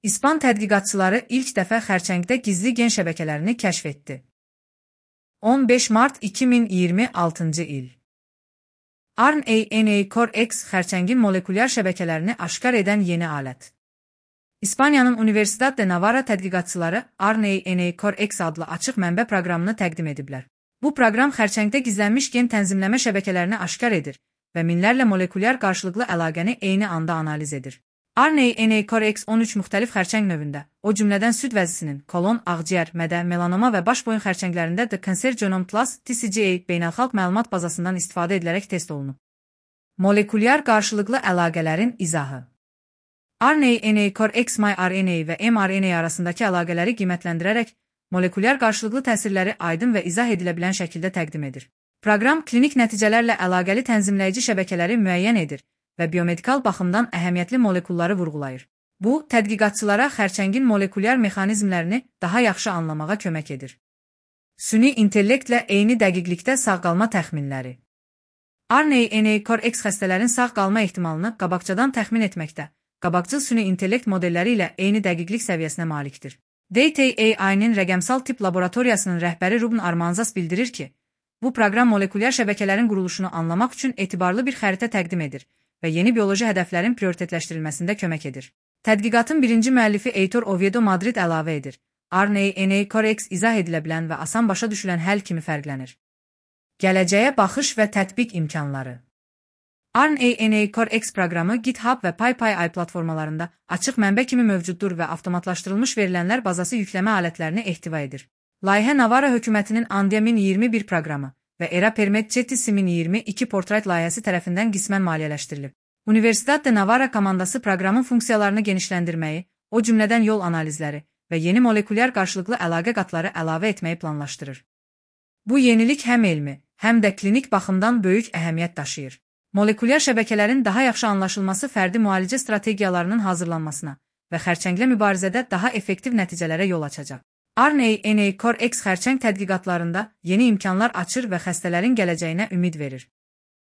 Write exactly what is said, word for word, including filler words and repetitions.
İspan tədqiqatçıları ilk dəfə xərçəngdə gizli gen şəbəkələrini kəşf etdi. on beş mart iki min iyirmi altıncı il. R N A-Core-X xərçəngin molekulyar şəbəkələrini aşkar edən yeni alət. İspaniyanın Universidad de Navarra tədqiqatçıları R N A-Core-X adlı açıq mənbə proqramını təqdim ediblər. Bu proqram xərçəngdə gizlənmiş gen tənzimləmə şəbəkələrini aşkar edir və minlərlə molekulyar qarşılıqlı əlaqəni eyni anda analiz edir. R N A-Core-X on üç müxtəlif xərçəng növündə, o cümlədən süd vəzisinin, kolon, ağciyər, mədə, melanoma və baş boyun xərçənglərində The Cancer Genome Plus T C G A beynəlxalq məlumat bazasından istifadə edilərək test olunub. Molekulyar qarşılıqlı əlaqələrin izahı. R N A-Core-X miRNA və mRNA arasındakı əlaqələri qiymətləndirərək, molekulyar qarşılıqlı təsirləri aydın və izah edilə bilən şəkildə təqdim edir. Proqram klinik nəticələrlə əlaqəli tənzimləyici şəbəkələri müəyyən edir və biomedikal baxımdan əhəmiyyətli molekulları vurğulayır. Bu, tədqiqatçılara xərçəngin molekulyar mexanizmlərini daha yaxşı anlamağa kömək edir. Süni intellektlə eyni dəqiqlikdə sağ-qalma təxminləri. R N A-Core-X xəstələrin sağ qalma ehtimalını qabaqcadan təxmin etməkdə, qabaqcıl süni intellekt modelləri ilə eyni dəqiqlik səviyyəsinə malikdir. Data A I-nin rəqəmsal tip laboratoriyasının rəhbəri Ruben Armanzas bildirir ki, bu proqram molekulyar şəbəkələrin quruluşunu anlamaq üçün etibarlı bir xəritə təqdim edir və yeni bioloji hədəflərin prioritetləşdirilməsində kömək edir. Tədqiqatın birinci müəllifi Heitor Oviedo Madrid əlavə edir. R N A-Core-X izah edilə bilən və asan başa düşülən həll kimi fərqlənir. Gələcəyə baxış və tətbiq imkanları. R N A-Core-X proqramı GitHub və PyPI platformalarında açıq mənbə kimi mövcuddur və avtomatlaşdırılmış verilənlər bazası yükləmə alətlərini ehtiva edir. Layihə Navarra hökumətinin Andia min iyirmi bir proqramı və Era Permet Cetisi min iyirmi iki Portrait layihəsi tərəfindən qismən maliyyələşdirilib. Universidad de Navarra komandası proqramın funksiyalarını genişləndirməyi, o cümlədən yol analizləri və yeni molekulyar qarşılıqlı əlaqə qatları əlavə etməyi planlaşdırır. Bu yenilik həm elmi, həm də klinik baxımdan böyük əhəmiyyət daşıyır. Molekulyar şəbəkələrin daha yaxşı anlaşılması fərdi müalicə strategiyalarının hazırlanmasına və xərçənglə mübarizədə daha effektiv nəticələrə yol açacaq. R N A-Core-X xərçəng tədqiqatlarında yeni imkanlar açır və xəstələrin gələcəyinə ümid verir.